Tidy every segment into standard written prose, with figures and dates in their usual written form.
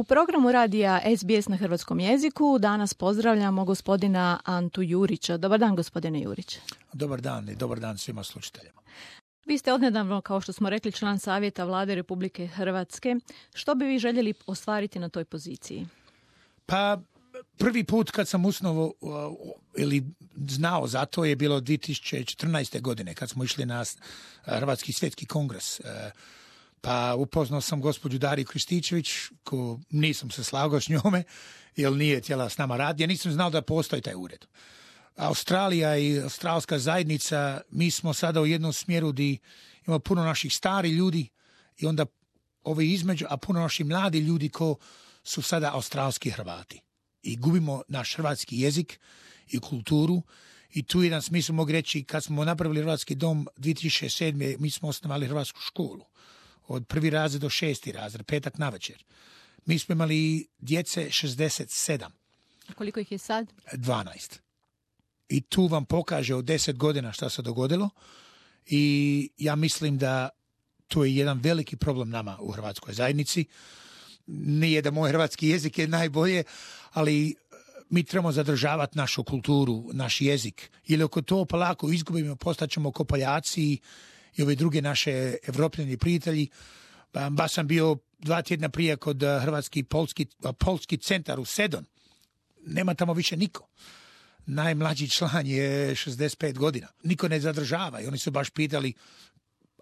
U programu radija SBS na hrvatskom jeziku danas pozdravljamo gospodina Antu Jurića. Dobar dan, gospodine Jurić. Dobar dan i dobar dan svima slušateljima. Vi ste odnedavno, kao što smo rekli, član Savjeta Vlade Republike Hrvatske. Što bi vi željeli ostvariti na toj poziciji? Pa prvi put kad sam usnovo ili znao za to je bilo 2014. godine kad smo išli na Hrvatski svjetski kongres. Pa upoznao sam gospođu Dariju Krističević, ko nisam se slagao s njome, jer nije htjela s nama raditi. Ja nisam znao da postoji taj ured. Australija i australska zajednica, mi smo sada u jednom smjeru gdje imamo puno naših stari ljudi i onda ovi između, a puno naših mladi ljudi ko su sada australski Hrvati. I gubimo naš hrvatski jezik i kulturu. I tu jedan smislu mogu reći, kad smo napravili Hrvatski dom 2007. mi smo osnovali Hrvatsku školu. Od prvi razred do 6. razred, petak navečer. Mi smo imali djece 67. A koliko ih je sad? 12. I tu vam pokaže od 10 godina šta se dogodilo. I ja mislim da to je jedan veliki problem nama u hrvatskoj zajednici. Nije da moj hrvatski jezik je najbolje, ali mi trebamo zadržavati našu kulturu, naš jezik. Jer ako to polako izgubimo, postaćemo ko Poljaci i ove druge naše evropljeni prijatelji. Baš sam bio 2 tjedna prije kod Hrvatski polski centar u Sedon. Nema tamo više niko. Najmlađi član je 65 godina. Niko ne zadržava i oni su baš pitali: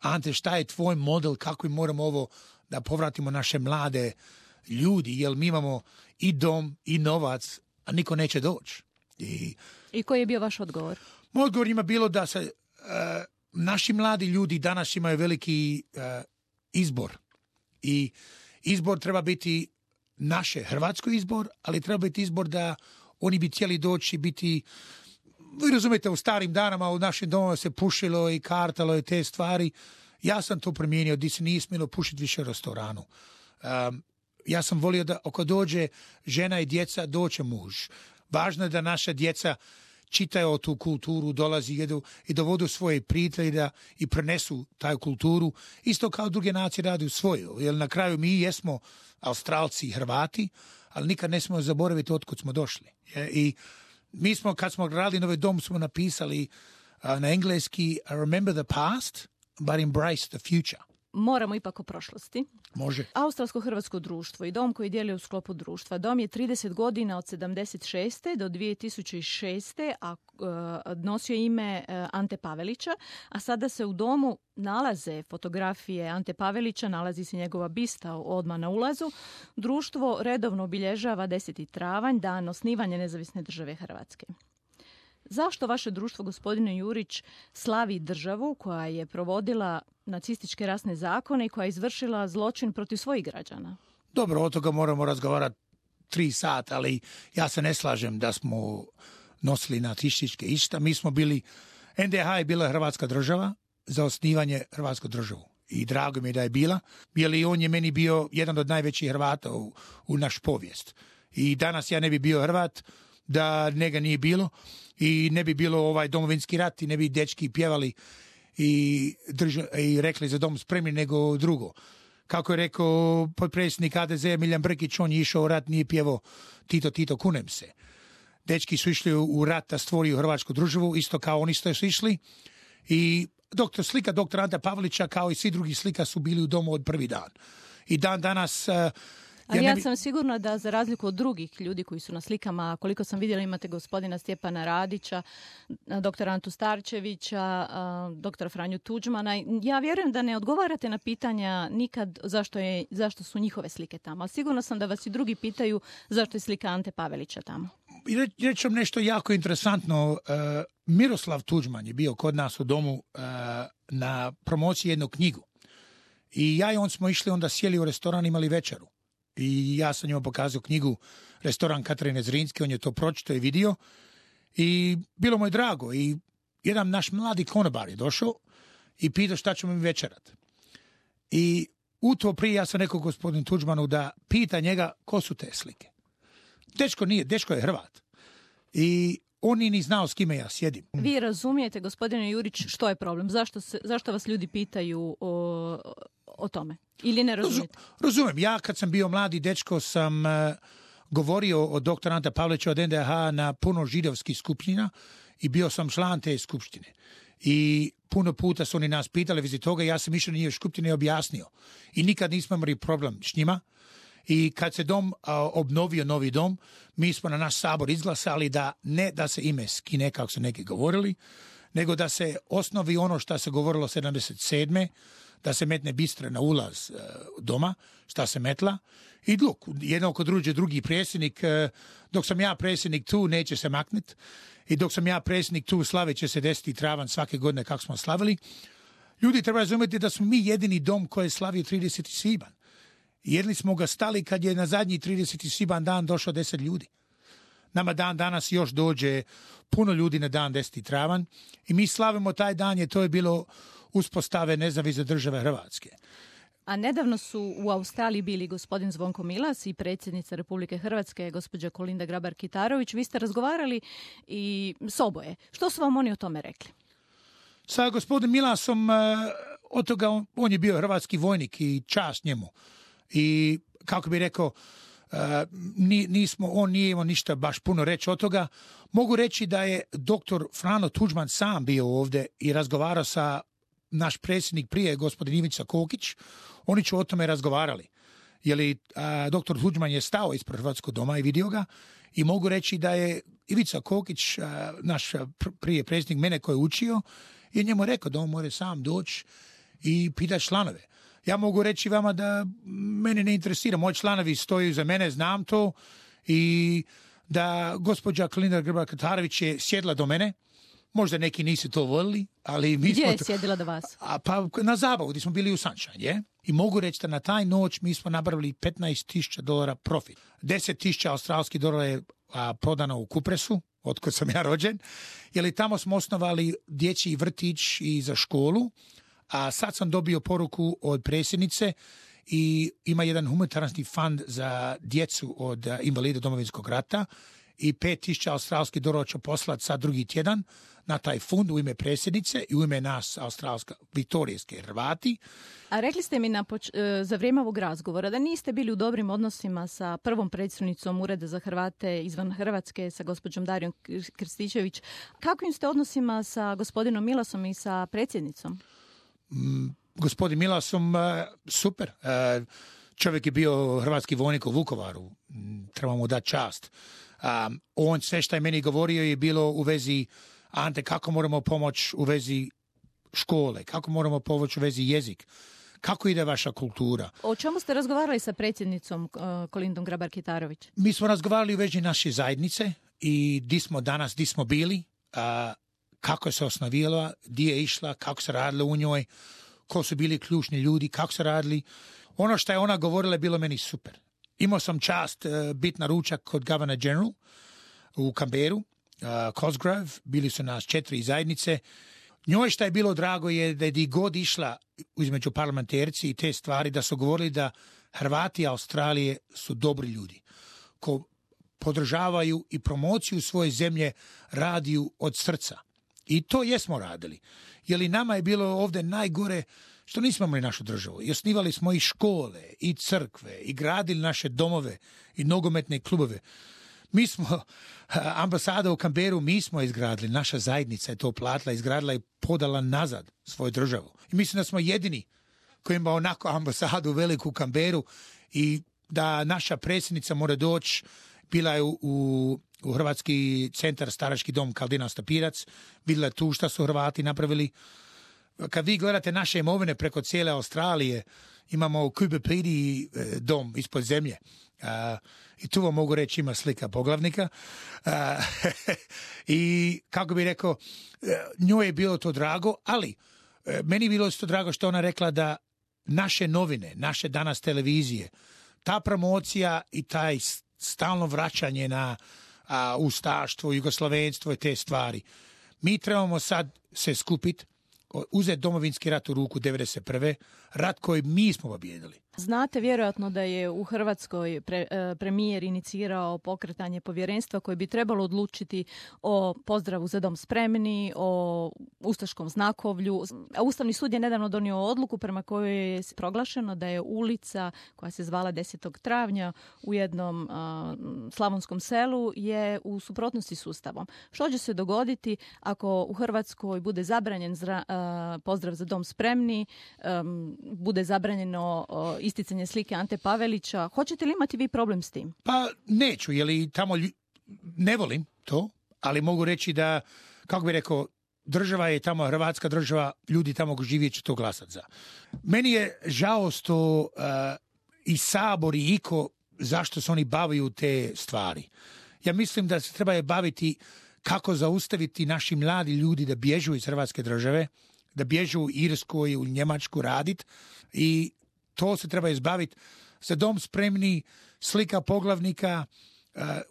Ante, šta je tvoj model, kako mi moramo ovo da povratimo naše mlade ljudi, jer mi imamo i dom i novac, a niko neće doći. I koji je bio vaš odgovor? Moj odgovor ima bilo da se naši mladi ljudi danas imaju veliki izbor. I izbor treba biti naše hrvatsko izbor, ali treba biti izbor da oni bi htjeli doći biti, vi razumijete, u starim danama u našim domovima se pušilo i kartalo i te stvari. Ja sam to promijenio, gdje se nije smjelo pušiti više u restoranu. Ja sam volio da ako dođe žena i djeca, doće muž. Važno je da naša djeca čitaju o tu kulturu, dolazi, jedu i dovodu svoje prijatelje i prenesu taj kulturu. Isto kao druge nacije radi u svoju. Jer na kraju mi jesmo Australci i Hrvati, ali nikad ne smemo zaboraviti otkud smo došli. I mi smo, kad smo radili Novi dom, smo napisali na engleski: remember the past, but embrace the future. Moramo ipak o prošlosti. Može. Australsko-hrvatsko društvo i dom koji dijeli u sklopu društva. Dom je 30 godina od 76. do 2006. a nosio ime Ante Pavelića, a sada se u domu nalaze fotografije Ante Pavelića, nalazi se njegova bista odmah na ulazu. Društvo redovno obilježava 10. travanj, dan osnivanja Nezavisne države Hrvatske. Zašto vaše društvo, gospodine Jurić, slavi državu koja je provodila nacističke rasne zakone i koja je izvršila zločin protiv svojih građana? Dobro, od toga moramo razgovarati 3 sata, ali ja se ne slažem da smo nosili nacističke išta. Mi smo bili, NDH je bila Hrvatska država za osnivanje Hrvatsku državu. I drago mi je da je bila, jer on je meni bio jedan od najvećih Hrvata u naš povijest. I danas ja ne bi bio Hrvat da njega nije bilo i ne bi bilo ovaj domovinski rat i ne bi dečki pjevali i rekli za dom spremni nego drugo. Kako je rekao potpredsjednik HDZ Miljan Brkić, on je išao u rat, nije pjevao Tito, Tito, kunem se. Dečki su išli u rat da stvoriju Hrvatsku državu, isto kao oni su išli. I slika doktora Ante Pavelića kao i svi drugi slika su bili u domu od prvi dan. I dan danas... Ali ja sam sigurna da za razliku od drugih ljudi koji su na slikama, koliko sam vidjela, imate gospodina Stjepana Radića, doktora Antu Starčevića, doktora Franju Tuđmana. Ja vjerujem da ne odgovarate na pitanja nikad zašto su njihove slike tamo. Ali sigurno sam da vas i drugi pitaju zašto je slika Ante Pavelića tamo. Reći vam nešto jako interesantno. Miroslav Tuđman je bio kod nas u domu na promociji jednu knjigu. I ja i on smo išli, onda sjeli u restoran, imali večeru. I ja sam njima pokazao knjigu Restoran Katarine Zrinske, on je to pročitao i vidio i bilo mu je drago. I jedan naš mladi konobar je došao i pitao šta ćemo mi večerat. I u to prije ja sam rekao gospodinu Tuđmanu da pita njega ko su te slike. Dečko je Hrvat. I on nije ni znao s kime ja sjedim. Vi razumijete, gospodine Jurić, što je problem? Zašto vas ljudi pitaju o tome? Ili ne razumijete? Razumijem. Ja kad sam bio mladi dečko sam govorio o dr. Ante Pavelića od NDH na puno židovskih skupština i bio sam član te skupštine. I puno puta su oni nas pitali vezi toga, ja sam išao na njih skupštine i objasnio. I nikad nismo imali problem s njima. I kad se dom obnovio, novi dom, mi smo na naš sabor izglasali da ne da se ime skine, kako su neki govorili, nego da se osnovi ono što se govorilo 77. da se metne bistre na ulaz doma, šta se metla. I jedno kod drugi predsjednik, dok sam ja predsjednik tu, neće se makniti. I dok sam ja predsjednik tu, slavit će se 10. travanj svake godine kako smo slavili. Ljudi treba razumjeti da smo mi jedini dom koji je slavio 30. svibanj. Jedni smo ga stali kad je na zadnji 30. svibanj dan došlo 10 ljudi. Nama dan danas još dođe puno ljudi na dan 10. travanj i mi slavimo taj dan, to je bilo uspostave nezavisne države Hrvatske. A nedavno su u Australiji bili gospodin Zvonko Milas i predsjednica Republike Hrvatske, gospođa Kolinda Grabar-Kitarović. Vi ste razgovarali i s oboje. Što su vam oni o tome rekli? Sa gospodin Milasom, od toga on je bio hrvatski vojnik i čast njemu. I kako bi rekao, on nije imao ništa baš puno reći od toga. Mogu reći da je doktor Frano Tuđman sam bio ovdje i razgovarao sa naš predsjednik prije, gospodin Ivica Kokić. Oni su o tome razgovarali. Doktor Tuđman je stao ispred Hrvatskog doma i vidio ga i mogu reći da je Ivica Kokić, naš prije predsjednik mene koji je učio, je njemu rekao da on mora sam doći i pitati članove. Ja mogu reći vama da mene ne interesira. Moji članovi stoju za mene, znam to. I da gospođa Kolinda Grabar-Kitarović je sjedla do mene. Možda neki nisu to volili, ali mi Gdje je sjedila do vas? Pa na zabavu, gdje smo bili u Sunshine, I mogu reći da na taj noć mi smo napravili $15,000 profit. $10,000 australskih dolara je prodano u Kupresu, otkud sam ja rođen. Tamo smo osnovali dječji vrtić i za školu. A sad sam dobio poruku od predsjednice i ima jedan humanitarni fond za djecu od invalida Domovinskog rata i $5,000 australskih dolara ću poslati sad drugi tjedan na taj fond u ime predsjednice i u ime nas australska viktorijske Hrvati. A rekli ste mi za vrijeme ovog razgovora da niste bili u dobrim odnosima sa prvom predsjednicom Ureda za Hrvate izvan Hrvatske, sa gospođom Darijom Krstičević. Kakvim ste odnosima sa gospodinom Milasom i sa predsjednicom? Gospodin Milasom, super. Čovjek je bio hrvatski vojnik u Vukovaru. Trebamo dati čast. On sve što je meni govorio je bilo u vezi Ante, kako moramo pomoći u vezi škole, kako moramo pomoći u vezi jezik, kako ide vaša kultura. O čemu ste razgovarali sa predsjednicom Kolindom Grabar-Kitarović? Mi smo razgovarali u vezi naše zajednice i di smo danas, di smo bili, kako je se osnovila, gdje je išla, kako se radilo u njoj, ko su bili ključni ljudi, kako se radili. Ono što je ona govorila je bilo meni super. Imao sam čast biti na ručak kod Governor General u Canberru, Cosgrove, bili su nas 4 zajednice. Njoj što je bilo drago je da je di god išla između parlamentarci i te stvari, da su govorili da Hrvati Australije su dobri ljudi, ko podržavaju i promociju svoje zemlje radiju od srca. I to jesmo radili. Jer i nama je bilo ovdje najgore što nismo imali našu državu. I osnivali smo i škole, i crkve, i gradili naše domove, i nogometne klubove. Mi smo, ambasada u Canberru, mi smo izgradili, naša zajednica je to platila, izgradila i podala nazad svoju državu. I mislim da smo jedini koji ima onako ambasadu veliku u Canberru i da naša predsjednica mora doći, bila je u Hrvatski centar Starački dom Kaldina Stapirac, vidjela tu šta su Hrvati napravili. Kad vi gledate naše imovine preko cijele Australije, imamo u Kubepidi dom ispod zemlje. I tu vam mogu reći ima slika poglavnika. I kako bi rekao, njoj je bilo to drago, ali meni je bilo to drago što ona rekla da naše novine, naše danas televizije, ta promocija i taj stalno vraćanje na ustaštvo, jugoslavenstvo i te stvari. Mi trebamo sad se skupiti, uzeti Domovinski rat u ruku 1991. Rat koji mi smo pobijedili. Znate vjerojatno da je u Hrvatskoj premijer inicirao pokretanje povjerenstva koje bi trebalo odlučiti o pozdravu Za dom spremni, o ustaškom znakovlju. A Ustavni sud je nedavno donio odluku prema kojoj je proglašeno da je ulica koja se zvala 10. travnja u jednom slavonskom selu je u suprotnosti s Ustavom. Što će se dogoditi ako u Hrvatskoj bude zabranjen pozdrav Za dom spremni, bude zabranjeno isticanje slike Ante Pavelića? Hoćete li imati vi problem s tim? Pa neću, jer tamo ne volim to, ali mogu reći da, kako bi rekao, država je tamo hrvatska država, ljudi tamo ko živjet će to glasat za. Meni je žao što i Sabor i iko zašto se oni bavaju te stvari. Ja mislim da se treba baviti kako zaustaviti naši mladi ljudi da bježu iz hrvatske države, da bježu u Irsku i u Njemačku radit i to se treba izbaviti. Za dom spremni, slika poglavnika.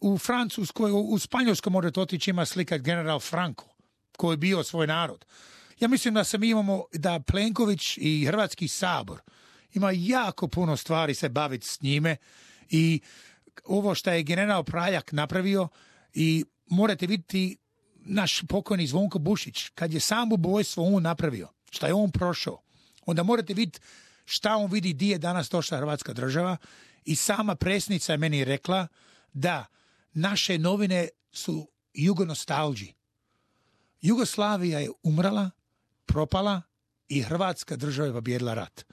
U Francuskoj, u Španjolskoj morate otići, ima slika general Franco, koji je bio svoj narod. Ja mislim da mi imamo, da Plenković i Hrvatski sabor ima jako puno stvari se baviti s njime i ovo što je general Praljak napravio i morate vidjeti naš pokojni Zvonko Bušić, kad je samoubojstvo on napravio, šta je on prošao, onda morate vidjeti šta on vidi di je danas došla hrvatska država i sama predsjednica je meni rekla da naše novine su jugonostalđi. Jugoslavija je umrla, propala i hrvatska država je pobjedila rat.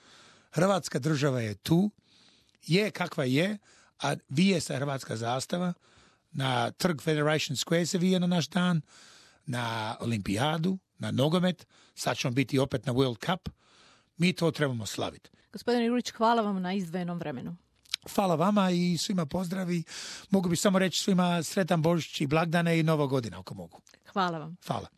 Hrvatska država je tu, je kakva je, a vije se hrvatska zastava, na trg Federation Square se vije na naš dan, na olimpijadu, na nogomet, sad ćemo biti opet na World Cup. Mi to trebamo slaviti. Gospodine Jurić, hvala vam na izdvojenom vremenu. Hvala vama i svima pozdravi. Mogu bi samo reći svima sretan Božić i blagdane i Nova godina ako mogu. Hvala vam. Hvala.